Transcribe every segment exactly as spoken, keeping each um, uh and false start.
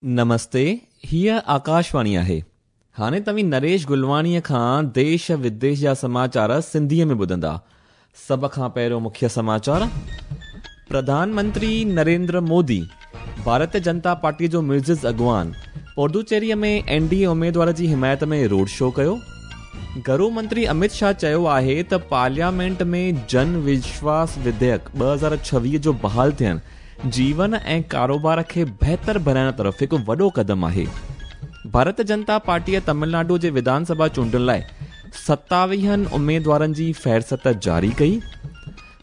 نمستي، हीअ आकाशवाणी आहे। हाणे तव्हीं नरेश गुलवाणीअ खां देश विदेश जा समाचार सिंधीअ में ॿुधंदा। सभ खां पहिरियों मुख्य समाचार। प्रधानमंत्री नरेंद्र मोदी भारतीय जनता पार्टी जो मुइज़िज़ अॻवान पुदुचेरीअ में एन डी ए उमेदवार जी हिमायत में रोड शो कयो। घरू मंत्री अमित शाह चयो आहे त पार्लियामेंट में जन विश्वास विधेयक ॿ हज़ार छवीह जो बहाल थियणु जीवन ऐं कारोबार खे बहितर बणाइण तरफ़ हिकु वॾो क़दम आहे। भारतीय जनता पार्टीअ तमिलनाडु जे विधानसभा चूंडुनि लाइ सतावीहनि उमेदवारनि जी फ़हरिस्त जारी कई।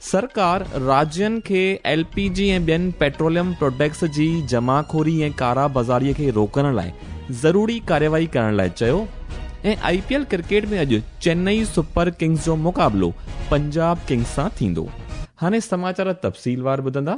सरकार राज्यनि खे एल पी जी ऐं ॿियनि पेट्रोलियम प्रोडक्ट्स जी जमाखोरी ऐं कारा बाज़ारीअ खे रोकण लाइ ज़रूरी कार्यवाही करण लाइ चयो। ऐं I P L cricket में अॼु चेन्नई सुपर किंग्स जो मुक़ाबिलो पंजाब किंग्स सां थींदो। हाणे समाचार तफ़सीलवार ॿुधंदा।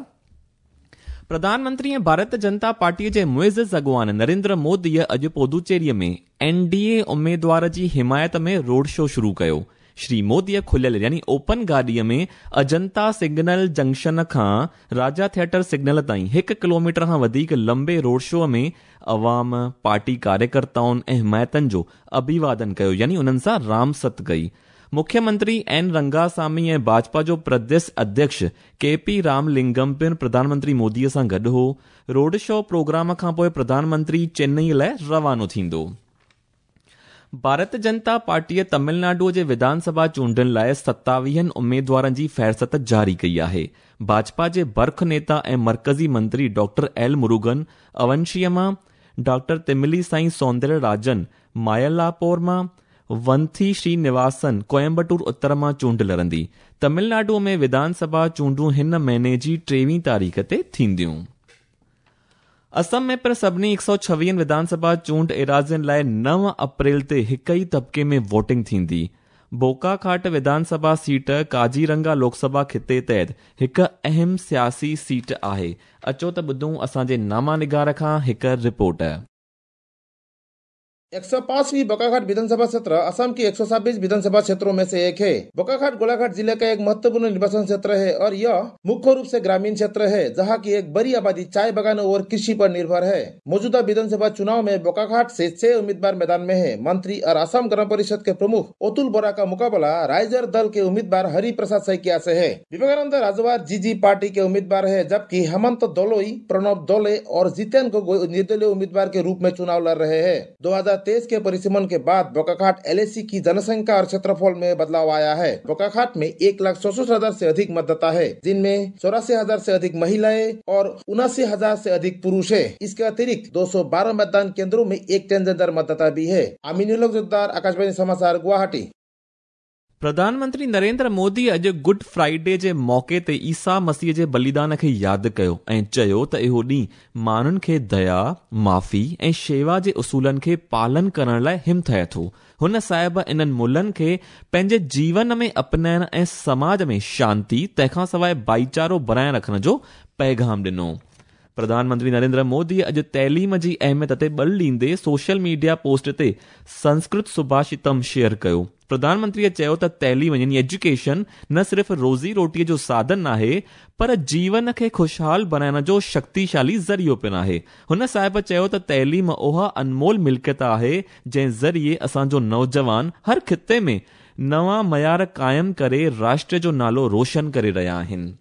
प्रधानमंत्री ऐं भारतीय जनता पार्टीअ जे मुइज़िज़ अॻवान नरेंद्र मोदीअ अॼु पुदुचेरीअ में एन डी ए उमेदवार जी हिमायत में रोड शो शुरू कयो। श्री मोदीअ खुलियल यानी ओपन गाॾीअ में अजंता सिग्नल जंक्शन खां राजा थिएटर सिग्नल ताईं हिकु किलोमीटर खां वधीक लंबे रोड शो में अवाम, पार्टी कार्यकर्ताउनि ऐं हिमायतनि जो अभिवादन कयो यानी उन्हनि सां रामसत कई। मुख्यमंत्री एन रंगासामी ऐं भाजपा जो प्रदेश अध्यक्ष के पी रामलिंगम पिणु प्रधानमंत्री मोदीअ सां गॾु हो। रोड शो प्रोग्राम खां पोइ प्रधानमंत्री चेन्नई लाइ रवानो थींदो। भारतीय जनता पार्टीअ तमिलनाडु जे विधानसभा चूंडुनि लाइ सतावीहनि उमेदवारनि जी फ़हरिस्त जारी कई आहे। भाजपा जे बर्ख नेता ऐं मर्कज़ी मंत्री डॉक्टर एल मुरुगन अवंशीअ मां, डॉक्टर तिमिलीसाई सौंदर्यराजन मायलापोर मां, वंथी श्रीनिवासन कोयम्बटूर उत्तर मां चूंड लड़ंदी। तमिलनाडु में विधानसभा चूंडूं हिन महीने जी टेवीह तारीख़ ते थींदियूं। असम में पिणु सभिनी हिकु सौ छवीहनि विधानसभा चूंड एराज़ियुनि लाइ नव अप्रैल ते हिकु ई तबिके में वोटिंग थींदी। बोकाखाट विधानसभा सीट काजीरंगा लोकसभा खिते तहत हिकु अहम सियासी सीट आहे। अचो त ॿुधूं असांजे नामा निगार खां हिकु रिपोर्ट। एक सौ पांचवी बोकाखाट विधानसभा क्षेत्र असम की एक सौ छब्बीस विधानसभा क्षेत्रों में से एक है। बोकाखाट गोलाघाट जिले का एक महत्वपूर्ण निर्वाचन क्षेत्र है और यह मुख्य रूप से ग्रामीण क्षेत्र है, जहां की एक बड़ी आबादी चाय बागानों और कृषि पर निर्भर है। मौजूदा विधानसभा चुनाव में बोकाखाट से छह उम्मीदवार मैदान में है। मंत्री और असम गण परिषद के प्रमुख अतुल बोरा का मुकाबला राइजर दल के उम्मीदवार हरि प्रसाद सैकिया से है। विवेकानंद राजवार जी जी पार्टी के उम्मीदवार है, जबकि हेमंत दोलोई, प्रणब दोले और जितेन गोगोई निर्दलीय उम्मीदवार के रूप में चुनाव लड़ रहे हैं। दो हजार तेईस के परिसीमन के बाद बोकाखाट एल ए सी की जनसंख्या और क्षेत्रफल में बदलाव आया है। बोकाखाट में एक लाख चौसठ हजार से अधिक मतदाता है, जिनमें चौरासी हजार से अधिक महिलाएं और उनासी हजार से अधिक पुरुष है। इसके अतिरिक्त दो सौ बारह मतदान केंद्रों में एक ट्रांसजेंडर मतदाता भी है। अमीनुल जोद्दार, आकाशवाणी समाचार, गुवाहाटी। प्रधानमंत्री नरेंद्र मोदी अॼु गुड फ्राइडे जे मौक़े ते ईसा मसीह जे बलिदान खे यादि कयो ऐं चयो त इहो ॾींहुं माण्हुनि खे दया, माफ़ी ऐं शेवा जे उसूलनि खे पालन करण लाइ हिमथाए थो। हुन साहिब इन्हनि मुल्हनि खे पंहिंजे जीवन में अपनाइण ऐं समाज में शांति तंहिंखां सवाइ भाईचारो बणाए रखण जो पैगाम ॾिनो। प्रधानमंत्री नरेंद्र मोदी अॼु तइलीम जी अहमियत ते बल ॾींदे सोशल मीडिया पोस्ट ते संस्कृत सुभाषितम शेयर कयो। प्रधानमंत्रीअ चयो त तइलीम यानी एजुकेशन न सिर्फ़ रोज़ी रोटीअ जो साधन आहे पर जीवन खे ख़ुशहाल बणाइण जो शक्तिशाली ज़रियो पिणु आहे। हुन साहिब चयो त तइलीम उहा अनमोल मिल्कियत आहे जंहिं ज़रिए असांजो नौजवान हर खिते में नवां मयार क़ाइमु करे राष्ट्र जो नालो रोशन करे रहिया आहिनि।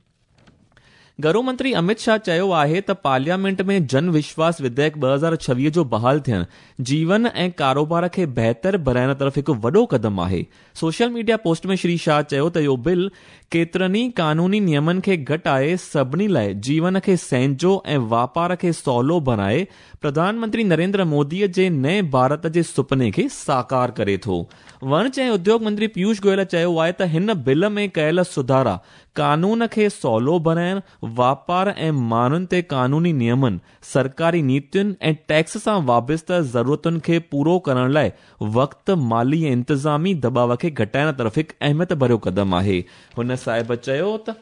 घरू मंत्री अमित शाह चयो आहे त पार्लियामेंट में जन विश्वास विधेयक ॿ हज़ार छवीह जो बहाल थियणु जीवन ऐं कारोबार खे बहितर बणाइण तरफ़ हिकु वॾो क़दम आहे। सोशल मीडिया पोस्ट में श्री शाह चयो त इहो बिल केतिरनि ई कानूनी नियमनि खे घटाए सभिनी लाइ जीवन खे सहंजो ऐं वापार खे सवलो बणाए प्रधानमंत्री नरेंद्र मोदीअ जे नए भारत जे सुपने खे साकार करे थो। वणज ऐं उद्योग मंत्री पीयूष गोयल चयो आहे त हिन बिल में कयल सुधारा कानून खे सवलो बणाइण, वापार ऐं माण्हुनि ते कानूनी नियमनि, सरकारी नीतियुनि ऐं टैक्स सां वाबस्ता ज़रूरतुनि खे पूरो करण लाइ वक़्तु, माली ऐं इंतिज़ामी दबाव खे घटाइण तरफ़ हिकु अहमियत भरियो क़दम आहे। हुन साहिब चयो त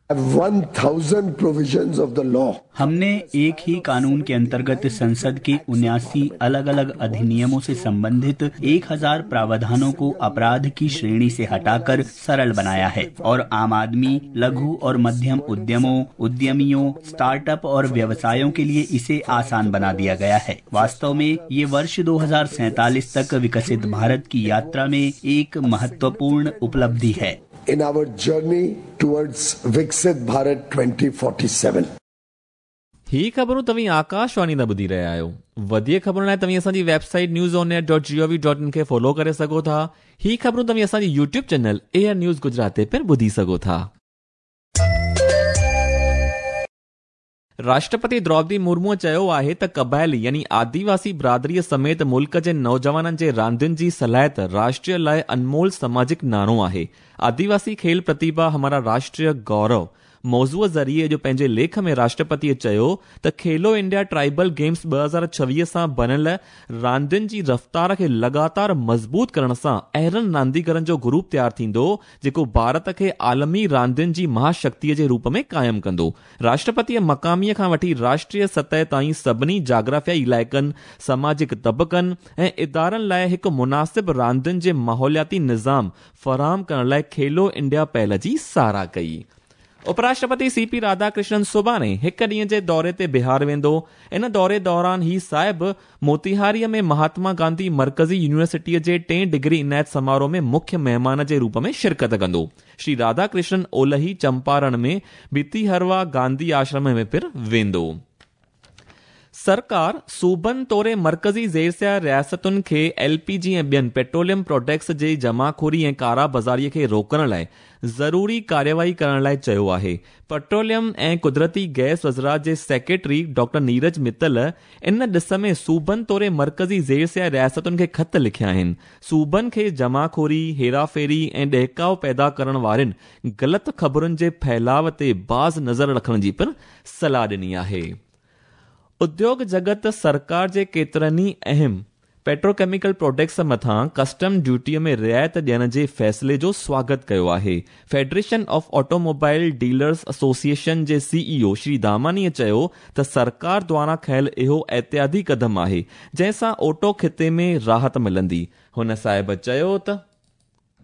one thousand provisions of the law. हमने एक ही कानून के अंतर्गत संसद के उन्यासी अलग अलग अधिनियमों से संबंधित एक हजार प्रावधानों को अपराध की श्रेणी से हटाकर सरल बनाया है और आम आदमी, लघु और मध्यम उद्यमों, उद्यमियों, स्टार्टअप और व्यवसायों के लिए इसे आसान बना दिया गया है। वास्तव में ये वर्ष दो हजार सैतालीस तक विकसित भारत की यात्रा में एक महत्वपूर्ण उपलब्धि है। In our journey towards Viksit Bharat twenty forty-seven. ही ख़बरूं तव्हीं आकाशवाणी तां ॿुधी रहिया आहियो। वधीक ख़बरुनि लाइ तव्हीं असांजी website news on air dot G O V dot in खे फॉलो करे सघो था। ही ख़बरूं तव्हीं असांजी YouTube channel AIR news Gujarat ते पिणु ॿुधी सघो था। राष्ट्रपति द्रौपदी मुर्मू चयो आहे त क़बाइली यानी आदिवासी बिरादरीअ समेत मुल्क जे नौजवाननि जे रांदियुनि जी सलाहियत राष्ट्रीय लाइ अनमोल सामाजिक नाणो आहे। आदिवासी खेल प्रतिभा हमारा राष्ट्रीय गौरव मौज़ूअ ज़रिए जो पंहिंजे लेख में राष्ट्रपतीअ चयो त खेलो इंडिया ट्राइबल गेम्स ॿ हज़ार छवीह सां बणियल रांदियुनि जी रफ़्तार खे लगातार मज़बूत करण सां अहिड़नि रांदीगरनि जो ग्रुप तयारु थींदो जेको भारत खे आलमी रांदियुनि जी महाशक्तिअ जे रूप में क़ाइमु कंदो। राष्ट्रपतीअ मक़ामीअ खां वठी राष्ट्रीय सतह ताईं सभिनी जाग्राफियाई इलाइक़नि, सामाजिक तबक़नि ऐं इदारनि लाइ हिकु मुनासिब रांदियुनि जे माहौलियाती निज़ाम फराहम करण लाइ खेलो इंडिया पहल जी सराह कई। उपराष्ट्रपति सी पी राधाकृष्णन सुभाणे हिकु ॾींहं जे दौरे ते बिहार वेंदो। इन दौरे दौरान ही साहिब मोतिहारीअ में महात्मा गांधी मर्कज़ी यूनिवर्सिटीअ जे टे डिग्री इनायत समारोह में मुख्य महिमान जे रूप में शिरकत कंदो। श्री राधाकृष्णन ओलही चंपारण में भितिहरवा गांधी आश्रम में पिणु वेंदो। सरकार सूबनि तोड़े मर्कज़ी ज़ेरसिया रियासतुनि खे एल पी जी ऐं ॿियनि पेट्रोलियम प्रोडक्ट्स जे जमाखोरी ऐं कारा बाज़ारीअ खे रोकण लाइ ज़रूरी कार्यवाही करण लाइ चयो आहे। पेट्रोलियम ऐं कुदरती गैस वज़ारत जे सेक्रेटरी डॉक्टर नीरज मित्तल इन ॾिस में सूबनि तोड़े मर्कज़ी ज़ेरसिया रियासतुनि खे ख़त लिखिया आहिनि। सूबनि खे जमाखोरी, हेराफेरी ऐं ॾहकाव पैदा करण वारनि ग़लति ख़बरुनि जे फैलाव ते बाज़ नज़र रखण जी पिणु सलाह ॾिनी आहे। उद्योग जगत सरकार जे केतिरनि ई अहम पेट्रोकेमिकल प्रोडक्ट्स मथां कस्टम ड्यूटीअ में रिआयत ॾियण जे फ़ैसिले जो स्वागत कयो आहे। Federation of automobile dealers association जे सी ई ओ श्री दामानीअ चयो त सरकार द्वारा खयल इहो एहतियाती क़दम आहे जंहिंसां ऑटो ख़िते में राहत मिलंदी। हुन साहिब चयो त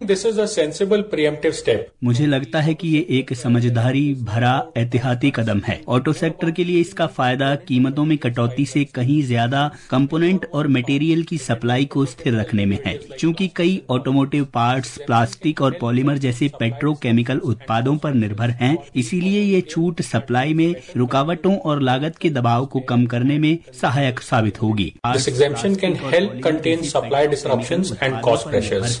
This is a sensible preemptive step. मुझे लगता है कि ये एक समझदारी भरा एहतियाती कदम है। ऑटो सेक्टर के लिए इसका फायदा कीमतों में कटौती से कहीं ज्यादा कंपोनेंट और मटेरियल की सप्लाई को स्थिर रखने में है। चूंकि कई ऑटोमोटिव पार्ट्स प्लास्टिक और पॉलीमर जैसे पेट्रोकेमिकल उत्पादों पर निर्भर हैं, इसीलिए ये छूट सप्लाई में रुकावटों और लागत के दबाव को कम करने में सहायक साबित होगी। This exemption can help contain supply disruptions and cost pressures.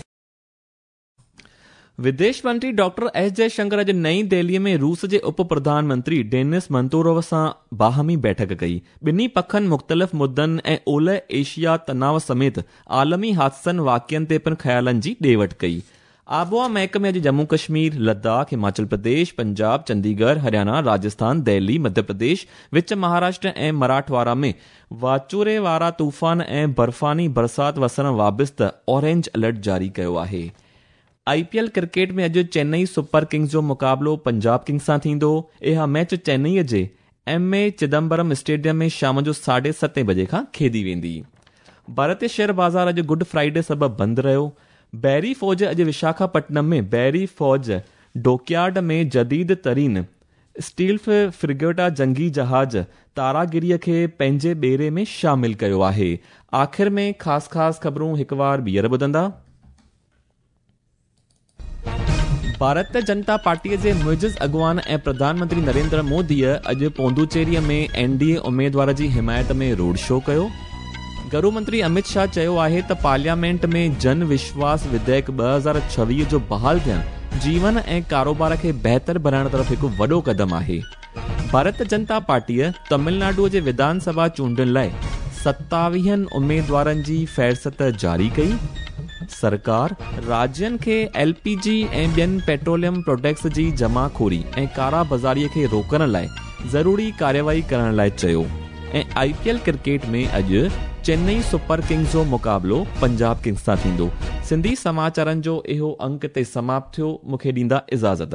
विदेश मंत्री डॉक्टर एस जयशंकर अॼु नई दिल्लीअ में रूस जे उप प्रधानमंत्री डेनिस मंतोरोव सां बाहमी बैठक कई। ॿिन्ही पखनि मुख़्तलिफ़ मुद्दनि ऐं ओलह एशिया तनाव समेत आलमी हादसनि वाक़ियनि ते पिणु ख़्यालनि जी ॾे वठ कई। आबोहवा महकमे अॼु जम्मू कश्मीर, लद्दाख, हिमाचल प्रदेश, पंजाब, चंडीगढ़, हरियाणा, राजस्थान, दिल्ली, मध्य प्रदेश, विच महाराष्ट्र ऐं मराठवाड़ा में वाचूरे वारा तूफ़ान ऐं बर्फ़ानी बरसात वसण वाबस्ता ऑरेंज अलर्ट जारी कयो आहे। I P L cricket में अॼु चेन्नई सुपर किंग्स जो मुक़ाबिलो पंजाब किंग्स सां थींदो। इहा मैच चेन्नईअ जे एम ए चिदम्बरम स्टेडियम में शाम जो साढे सतें बजे खां खेॾी वेंदी। भारतीय शेयर बाज़ार अॼु गुड फ्राइडे सबबु बंदि रहियो। बहरी फ़ौज अॼु विशाखापट्टनम में बहरी फ़ौज डॉकयार्ड में जदीद तरीन स्टील फ्रिगेटा जंगी जहाज़ तारागिरीअ खे पंहिंजे ॿेड़े में शामिल कयो आहे। आख़िर में ख़ासि ख़ासि ख़बरूं हिकु वार ॿीहर ॿुधंदा। भारतीय जनता पार्टीअ जे मुइज़ अॻुवान ऐं प्रधानमंत्री नरेंद्र मोदीअ अॼु पोंडुचेरीअ में एन डी ए उमेदवार जी हिमायत में रोड शो कयो। गृह मंत्री अमित शाह चयो आहे त पार्लियामेंट में जन विश्वास विधेयक ॿ हज़ार छवीह जो बहाल थियणु जीवन ऐं कारोबार खे बहितर बणाइण तरफ़ हिकु वॾो क़दम आहे। भारतीय जनता पार्टीअ तमिलनाडु जे विधानसभा चूंडुनि लाइ सतावीहनि उमेदवारनि जी फ़हरिस्त जारी कई। सरकार राज्यनि खे एल पी जी ऐं ॿियनि पेट्रोलियम प्रोडक्ट्स जी जमाखोरी ऐं कारा बाज़ारीअ खे रोकण लाइ ज़रूरी कार्यवाही करण लाइ चयो। ऐं I P L cricket में अॼु चेन्नई सुपर किंग्स जो मुक़ाबिलो पंजाब किंग्स सां थींदो। सिंधी समाचारनि जो इहो अंक ते समाप्त थियो। मूंखे ॾींदा इजाज़त।